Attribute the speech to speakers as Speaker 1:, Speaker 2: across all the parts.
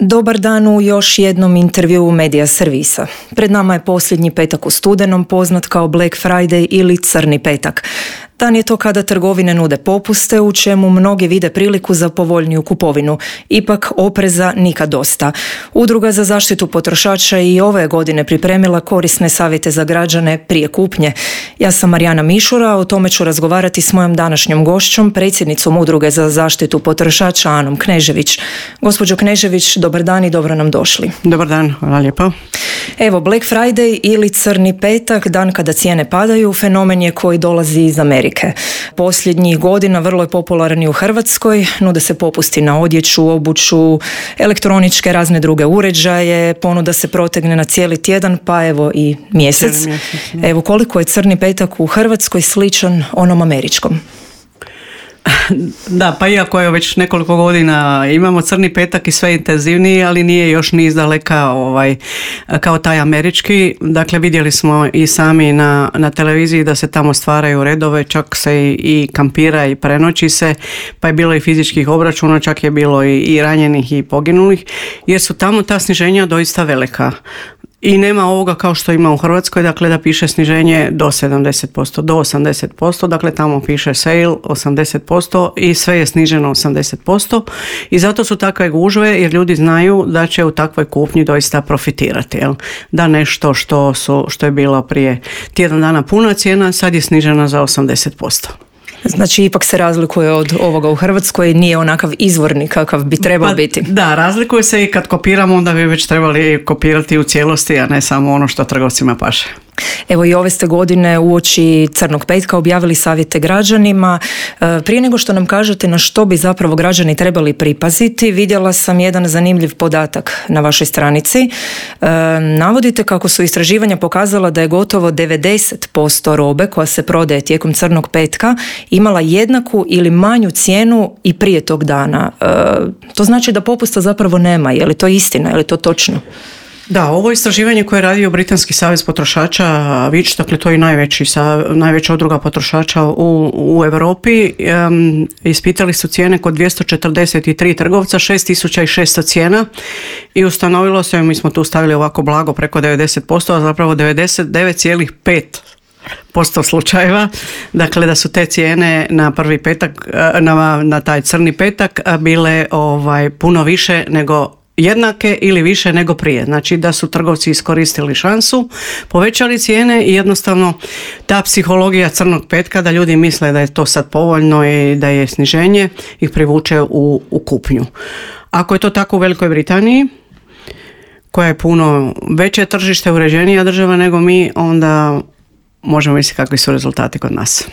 Speaker 1: Dobar dan u još jednom intervjuu Medija servisa. Pred nama je posljednji petak u studenom, poznat kao Black Friday ili Crni petak. Dan je to kada trgovine nude popuste, u čemu mnogi vide priliku za povoljniju kupovinu. Ipak opreza nikad dosta. Udruga za zaštitu potrošača i ove godine pripremila korisne savjete za građane prije kupnje. Ja sam Marijana Mišura, o tome ću razgovarati s mojom današnjom gošćom, predsjednicom Udruge za zaštitu potrošača Anom Knežević. Gospođo Knežević, dobar dan i dobro nam došli.
Speaker 2: Dobar dan, hvala lijepo.
Speaker 1: Evo, Black Friday ili Crni petak, dan kada cijene padaju, fenomen je koji dolazi iz Amerike. Posljednjih godina vrlo je popularan i u Hrvatskoj, nude se popusti na odjeću, obuću, elektroničke, razne druge uređaje, ponuda se protegne na cijeli tjedan, pa evo i mjesec. Evo, koliko je Crni petak u Hrvatskoj sličan onom američkom?
Speaker 2: Da, pa iako je već nekoliko godina imamo Crni petak i sve intenzivniji, ali nije još ni izdaleka kao taj američki. Dakle, vidjeli smo i sami na televiziji da se tamo stvaraju redove, čak se i kampira i prenoći se, pa je bilo i fizičkih obračuna, čak je bilo i ranjenih i poginulih, jer su tamo ta sniženja doista velika. I nema ovoga kao što ima u Hrvatskoj, dakle da piše sniženje do 70%, do 80%, dakle tamo piše sale 80% i sve je sniženo 80% i zato su takve gužve jer ljudi znaju da će u takvoj kupnji doista profitirati. Jel? Da nešto što je bilo prije tjedan dana puna cijena, sad je snižena za 80%.
Speaker 1: Znači, ipak se razlikuje od ovoga u Hrvatskoj, nije onakav izvorni kakav bi trebao biti.
Speaker 2: Da, razlikuje se i kad kopiramo, onda bi već trebali kopirati u cijelosti, a ne samo ono što trgovcima paše.
Speaker 1: Evo i ove ste godine uoči Crnog petka objavili savjete građanima. Prije nego što nam kažete na što bi zapravo građani trebali pripaziti, vidjela sam jedan zanimljiv podatak na vašoj stranici. Navodite kako su istraživanja pokazala da je gotovo 90% robe koja se prodaje tijekom Crnog petka imala jednaku ili manju cijenu i prije tog dana. To znači da popusta zapravo nema. Je li to istina? Je li to točno?
Speaker 2: Da, ovo istraživanje koje je radio Britanski savez potrošača, Which, dakle to je najveća udruga potrošača u Europi, ispitali su cijene kod 243 trgovca, 6600 cijena i ustanovilo se, mi smo tu stavili ovako blago preko 90%, a zapravo 99,5% slučajeva, dakle da su te cijene na prvi petak, na taj Crni petak bile puno više nego jednake ili više nego prije. Znači da su trgovci iskoristili šansu, povećali cijene i jednostavno ta psihologija Crnog petka da ljudi misle da je to sad povoljno i da je sniženje ih privuče u kupnju. Ako je to tako u Velikoj Britaniji, koja je puno veće tržište, uređenija država nego mi, onda možemo misliti kakvi su rezultati kod nas.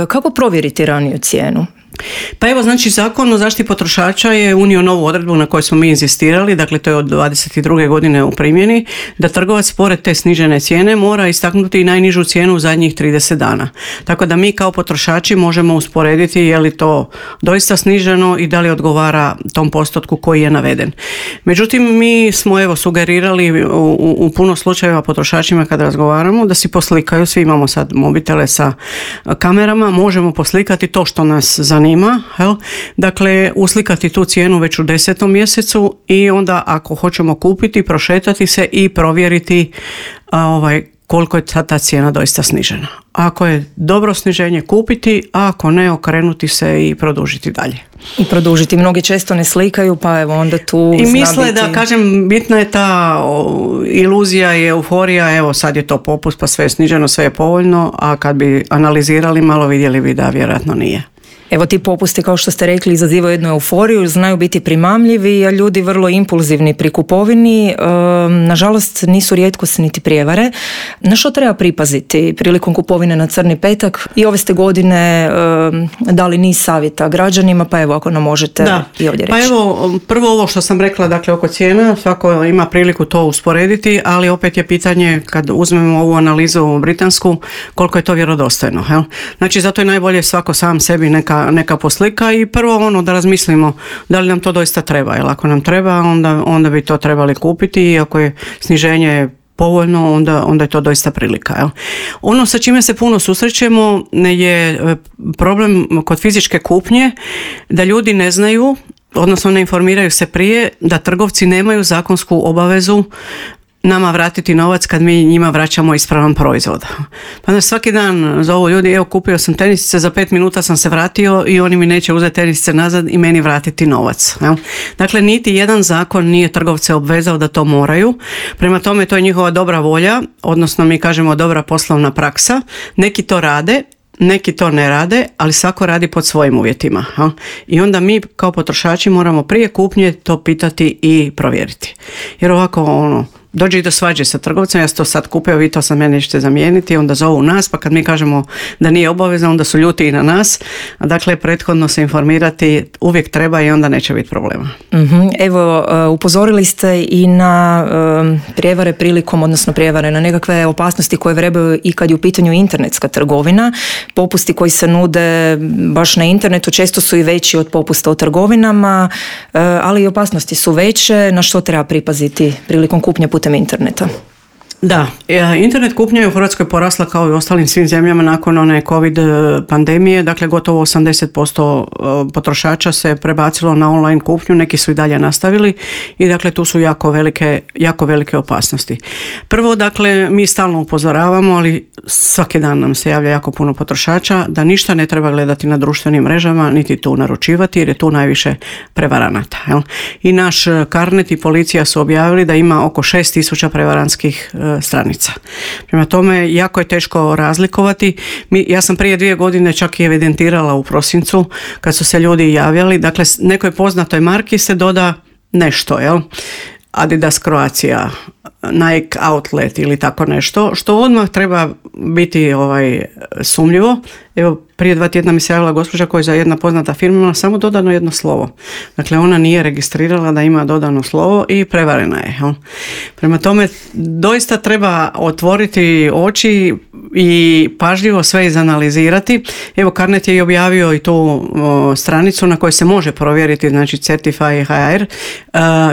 Speaker 1: Kako provjeriti raniju cijenu?
Speaker 2: Pa evo, znači Zakon o zaštiti potrošača je unio novu odredbu na kojoj smo mi inzistirali, dakle to je od 22. godine u primjeni, da trgovac pored te snižene cijene mora istaknuti i najnižu cijenu u zadnjih 30 dana. Tako da mi kao potrošači možemo usporediti je li to doista sniženo i da li odgovara tom postotku koji je naveden. Međutim, mi smo evo sugerirali u puno slučajeva potrošačima kad razgovaramo da si poslikaju, svi imamo sad mobitele sa kamerama, možemo poslikati to što nas zanima. Dakle, uslikati tu cijenu već u 10. mjesecu i onda ako hoćemo kupiti, prošetati se i provjeriti koliko je ta cijena doista snižena. Ako je dobro sniženje kupiti, a ako ne, okrenuti se i produžiti dalje.
Speaker 1: I produžiti. Mnogi često ne slikaju, pa evo onda tu
Speaker 2: i misle da, kažem, bitna je ta iluzija i euforija, evo sad je to popust, pa sve je sniženo, sve je povoljno, a kad bi analizirali malo vidjeli bi da vjerojatno nije.
Speaker 1: Evo ti popusti, kao što ste rekli, izazivaju jednu euforiju, znaju biti primamljivi, a ljudi vrlo impulzivni pri kupovini. Nažalost, nisu rijetkost niti prijevare. Na što treba pripaziti prilikom kupovine na Crni petak? I ove ste godine dali niz savjeta građanima, pa evo ako nam možete i ovdje reći.
Speaker 2: Pa evo, prvo ovo što sam rekla, dakle oko cijena, svako ima priliku to usporediti, ali opet je pitanje kad uzmemo ovu analizu britansku, koliko je to vjerodostojno. Jel? Znači, zato je najbolje svako sam sebi neka poslika i prvo da razmislimo da li nam to doista treba, jer ako nam treba onda bi to trebali kupiti i ako je sniženje povoljno, onda je to doista prilika. Jel? Ono sa čime se puno susrećemo je problem kod fizičke kupnje, da ljudi ne znaju odnosno ne informiraju se prije da trgovci nemaju zakonsku obavezu nama vratiti novac kad mi njima vraćamo ispravan proizvod. Pa onda svaki dan zovu ljudi, evo kupio sam tenisice, za 5 minuta sam se vratio i oni mi neće uzeti tenisice nazad i meni vratiti novac. Dakle, niti jedan zakon nije trgovce obvezao da to moraju. Prema tome, to je njihova dobra volja, odnosno mi kažemo dobra poslovna praksa. Neki to rade, neki to ne rade, ali svako radi pod svojim uvjetima. I onda mi kao potrošači moramo prije kupnje to pitati i provjeriti. Jer ovako dođe i do svađe sa trgovcem, ja sam to sad kupio, vi to sad mene ćete zamijeniti, onda zovu nas, pa kad mi kažemo da nije obavezno, onda su ljuti i na nas. Dakle, prethodno se informirati uvijek treba i onda neće biti problema.
Speaker 1: Evo, upozorili ste i na prijevare prilikom, odnosno prijevare na nekakve opasnosti koje vrebaju i kad je u pitanju internetska trgovina. Popusti koji se nude baš na internetu često su i veći od popusta u trgovinama, ali i opasnosti su veće. Na što treba pripaziti prilikom kupnje putem interneta?
Speaker 2: Da, internet kupnja je u Hrvatskoj porasla kao i u ostalim svim zemljama nakon one COVID pandemije, dakle gotovo 80% potrošača se prebacilo na online kupnju, neki su i dalje nastavili i dakle tu su jako velike opasnosti. Prvo, dakle, mi stalno upozoravamo, ali svaki dan nam se javlja jako puno potrošača da ništa ne treba gledati na društvenim mrežama, niti tu naručivati jer je tu najviše prevaranata. I naš Carnet i policija su objavili da ima oko 6.000 prevarantskih stranica. Prema tome, jako je teško razlikovati. Ja sam prije 2 godine čak i evidentirala u prosincu kad su se ljudi javljali. Dakle, nekoj poznatoj marki se doda nešto, Adidas Croatia, Nike Outlet ili tako nešto, što odmah treba biti sumnjivo. Evo, prije 2 tjedna mi se javila gospođa koja je za jedna poznata firma imala samo dodano jedno slovo. Dakle, ona nije registrirala da ima dodano slovo i prevarena je. Prema tome, doista treba otvoriti oči i pažljivo sve izanalizirati. Evo, Carnet je i objavio i tu stranicu na kojoj se može provjeriti, znači Certify HR,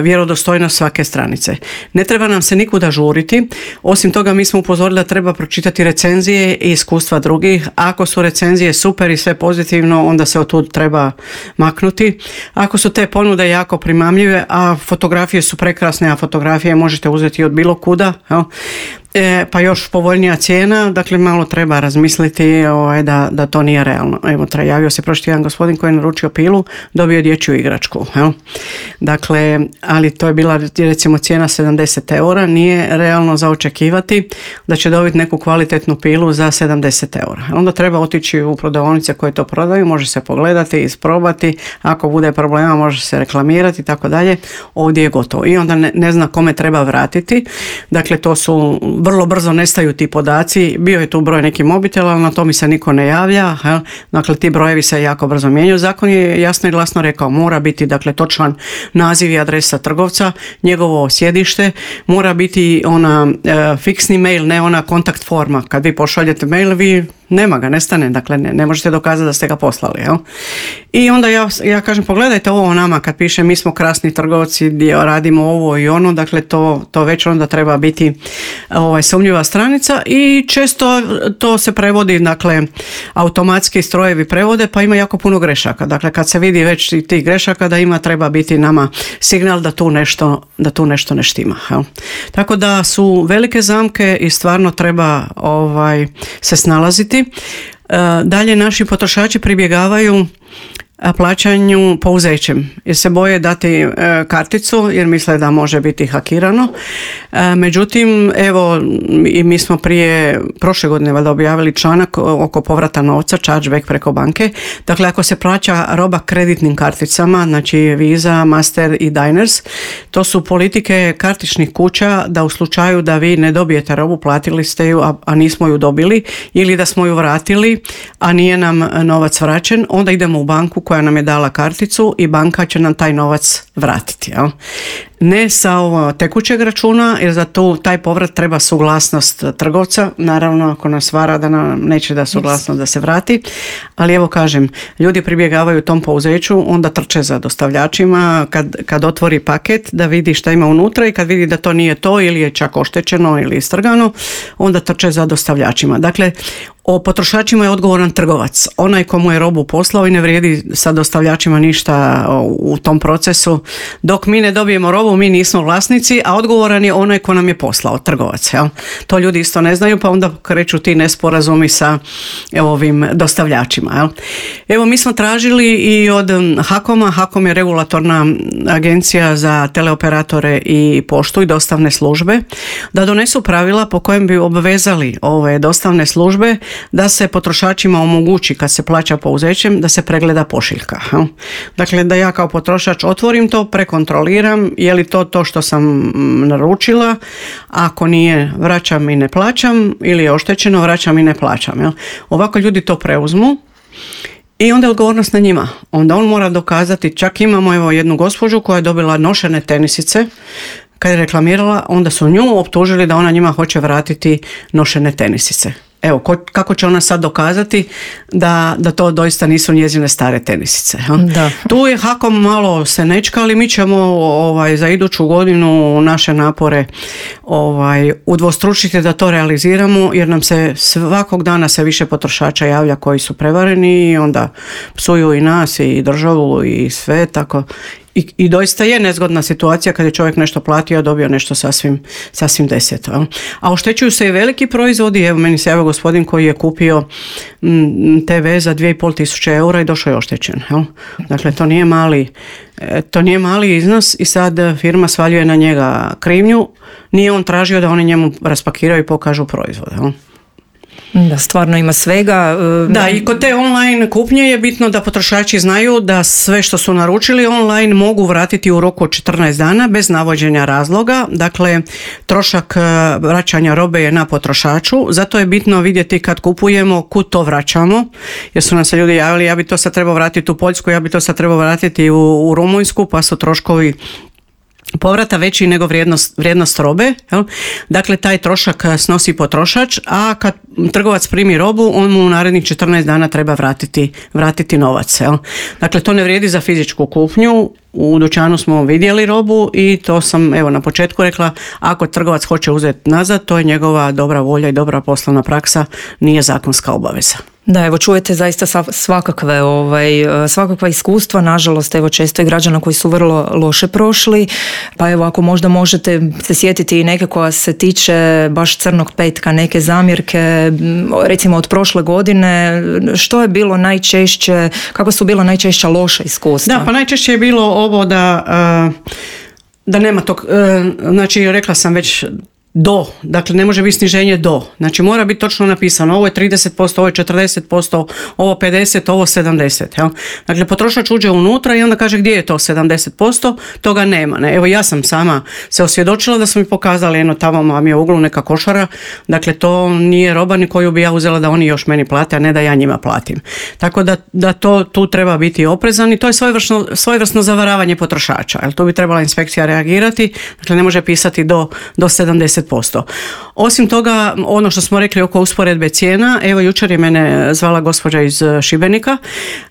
Speaker 2: vjerodostojnost svake stranice. Ne treba nam se nikuda žuriti. Osim toga, mi smo upozorili da treba pročitati recenzije i iskustva drugih. Ako su recenzije super i sve pozitivno, onda se od tud treba maknuti. Ako su te ponude jako primamljive, a fotografije su prekrasne, a fotografije možete uzeti od bilo kuda, pa još povoljnija cijena, dakle malo treba razmisliti da to nije realno. Evo, javio se prošli jedan gospodin koji je naručio pilu, dobio dječju igračku. Dakle, ali to je bila recimo cijena 70 eura, nije realno za očekivati da će dobiti neku kvalitetnu pilu za 70 eura. Onda treba otići u prodavaonice koje to prodaju, može se pogledati, isprobati, ako bude problema može se reklamirati i tako dalje. Ovdje je gotovo i onda ne zna kome treba vratiti. Dakle, to su vrlo brzo nestaju ti podaci, bio je tu broj nekih mobitela, ali na to mi se niko ne javlja, dakle ti brojevi se jako brzo mijenjaju. Zakon je jasno i glasno rekao, mora biti dakle točan naziv i adresa trgovca, njegovo sjedište, mora biti ona fiksni mail, ne ona kontakt forma, kad vi pošaljete mail, vi nema ga, nestane, dakle ne možete dokazati da ste ga poslali. I onda ja kažem, pogledajte ovo nama kad piše mi smo krasni trgovci gdje radimo ovo i ono, dakle to već onda treba biti sumnjiva stranica i često to se prevodi, dakle automatski strojevi prevode pa ima jako puno grešaka. Dakle kad se vidi već tih grešaka da treba biti nama signal da tu nešto ne štima. Tako da su velike zamke i stvarno treba se snalaziti. Dalje naši potrošači pribjegavaju plaćanju pouzećem jer se boje dati karticu jer misle da može biti hakirano. Međutim, evo i mi smo prošle godine valjda objavili članak oko povrata novca, chargeback preko banke. Dakle, ako se plaća roba kreditnim karticama, znači Visa, Master i Diners, to su politike kartičnih kuća da u slučaju da vi ne dobijete robu, platili ste ju, a nismo ju dobili ili da smo ju vratili, a nije nam novac vraćen, onda idemo u banku koja nam je dala karticu i banka će nam taj novac vratiti. ne sa tekućeg računa, jer za taj povrat treba suglasnost trgovca, naravno ako nas vara da nam neće da suglasnost da se vrati, ali evo kažem, ljudi pribjegavaju tom pouzeću, onda trče za dostavljačima kad otvori paket da vidi šta ima unutra i kad vidi da to nije to ili je čak oštećeno ili istrgano, onda trče za dostavljačima. Dakle, o potrošačima je odgovoran trgovac, onaj komu je robu poslao i ne vrijedi sa dostavljačima ništa u tom procesu. Dok mi ne dobijemo robu, mi nismo vlasnici, a odgovoran je onaj ko nam je poslao, trgovac. Jel? To ljudi isto ne znaju, pa onda kreću ti nesporazumi sa ovim dostavljačima. Jel? Evo, mi smo tražili i od HAKOM-a, HAKOM je regulatorna agencija za teleoperatore i poštu i dostavne službe, da donesu pravila po kojem bi obvezali ove dostavne službe da se potrošačima omogući kad se plaća pouzećem da se pregleda pošiljka. Dakle, da ja kao potrošač otvorim to, prekontroliram je li to što sam naručila, ako nije vraćam i ne plaćam ili je oštećeno vraćam i ne plaćam. Ovako ljudi to preuzmu i onda je odgovornost na njima. Onda on mora dokazati, čak imamo jednu gospođu koja je dobila nošene tenisice, kad je reklamirala, onda su nju optužili da ona njima hoće vratiti nošene tenisice. Evo, kako će ona sad dokazati da to doista nisu njezine stare tenisice?
Speaker 1: Da.
Speaker 2: Tu je HAKOM malo se nečka, ali mi ćemo za iduću godinu naše napore udvostručiti da to realiziramo, jer nam se svakog dana sve više potrošača javlja koji su prevareni i onda psuju i nas i državu i sve tako. I doista je nezgodna situacija kad je čovjek nešto platio, a dobio nešto sasvim deseto. A oštećuju se i veliki proizvodi. Evo, meni se javio gospodin koji je kupio TV za 2.500 eura i došao je oštećen. Dakle, to nije mali iznos i sad firma svaljuje na njega krivnju. Nije on tražio da oni njemu raspakiraju i pokažu proizvode.
Speaker 1: Da, stvarno ima svega.
Speaker 2: Da, i kod te online kupnje je bitno da potrošači znaju da sve što su naručili online mogu vratiti u roku od 14 dana bez navođenja razloga. Dakle, trošak vraćanja robe je na potrošaču, zato je bitno vidjeti kad kupujemo kud to vraćamo, jer su nam se ljudi javili ja bi to sad trebao vratiti u Poljsku, ja bi to sad trebao vratiti u Rumunjsku, pa su troškovi povrata veći nego vrijednost robe. Jel? Dakle, taj trošak snosi potrošač, a kad trgovac primi robu, on mu u narednih 14 dana treba vratiti novac. Jel? Dakle, to ne vrijedi za fizičku kupnju. U dućanu smo vidjeli robu i to sam na početku rekla, ako trgovac hoće uzeti nazad, to je njegova dobra volja i dobra poslovna praksa, nije zakonska obaveza.
Speaker 1: Da, evo čujete zaista svakakva iskustva, nažalost često i građana koji su vrlo loše prošli, pa evo ako možda možete se sjetiti i neke koja se tiče baš crnog petka, neke zamjerke, recimo od prošle godine, što je bilo najčešće, kako su bila najčešća loša iskustva?
Speaker 2: Da, pa najčešće je bilo ovo da nema tog, znači rekla sam već dakle ne može biti sniženje znači mora biti točno napisano, ovo je 30%, ovo je 40%, ovo 50%, ovo 70%. Jel? Dakle, potrošač uđe unutra i onda kaže gdje je to 70%, toga nema. Ne? Evo, ja sam sama se osvjedočila da su mi pokazali, tamo vam je u uglu neka košara, dakle to nije roba ni koju bi ja uzela da oni još meni plate, a ne da ja njima platim. Tako da to tu treba biti oprezan i to je svojevrsno zavaravanje potrošača. Jel? Tu bi trebala inspekcija reagirati, dakle ne može pisati do 70%. Osim toga, ono što smo rekli oko usporedbe cijena, evo jučer je mene zvala gospođa iz Šibenika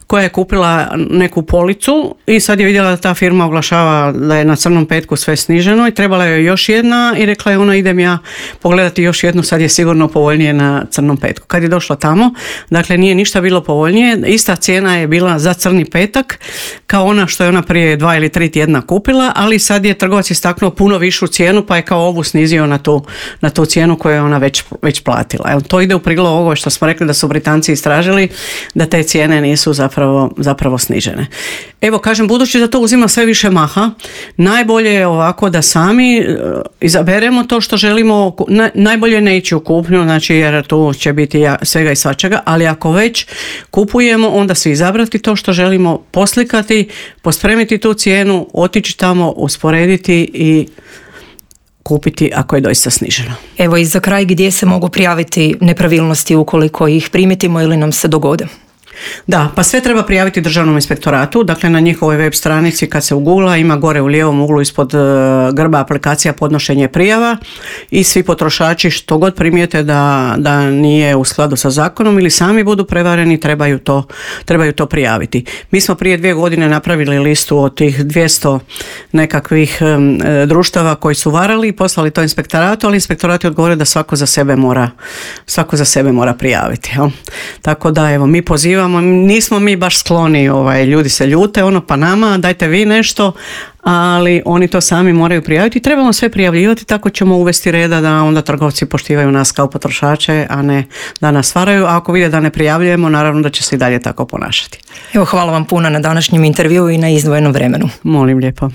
Speaker 2: koja je kupila neku policu i sad je vidjela da ta firma oglašava da je na crnom petku sve sniženo i trebala je još jedna i rekla je ona idem ja pogledati još jednu, sad je sigurno povoljnije na crnom petku. Kad je došla tamo, dakle nije ništa bilo povoljnije, ista cijena je bila za crni petak kao ona što je ona prije 2 ili 3 tjedna kupila, ali sad je trgovac istaknuo puno višu cijenu pa je kao ovu snizio na tu cijenu koju je ona već platila. Evo, to ide u prilog ovo što smo rekli da su Britanci istražili da te cijene nisu zapravo snižene. Evo, kažem, budući da to uzima sve više maha, najbolje je ovako da sami izaberemo to što želimo, najbolje ne ići u kupnju, znači jer tu će biti svega i svačega, ali ako već kupujemo, onda se izabrati to što želimo, poslikati, pospremiti tu cijenu, otići tamo, usporediti i kupiti ako je doista sniženo.
Speaker 1: Evo i za kraj, gdje se mogu prijaviti nepravilnosti ukoliko ih primitimo ili nam se dogode?
Speaker 2: Da, pa sve treba prijaviti Državnom inspektoratu, dakle na njihovoj web stranici kad se ugugla ima gore u lijevom uglu ispod grba aplikacija podnošenje prijava i svi potrošači što god primijete da nije u skladu sa zakonom ili sami budu prevareni trebaju to prijaviti. Mi smo prije 2 godine napravili listu od tih 200 nekakvih društava koji su varali i poslali to inspektoratu, ali inspektorat je odgovorio da svako za sebe mora prijaviti. Jel? Tako da evo mi pozivamo, nismo mi baš skloni, ljudi se ljute, pa nama dajte vi nešto, ali oni to sami moraju prijaviti. Trebamo sve prijavljivati, tako ćemo uvesti reda da onda trgovci poštivaju nas kao potrošače, a ne da nas varaju. A ako vide da ne prijavljujemo, naravno da će se i dalje tako ponašati.
Speaker 1: Evo, hvala vam puno na današnjem intervjuu i na izdvojenom vremenu.
Speaker 2: Molim lijepo.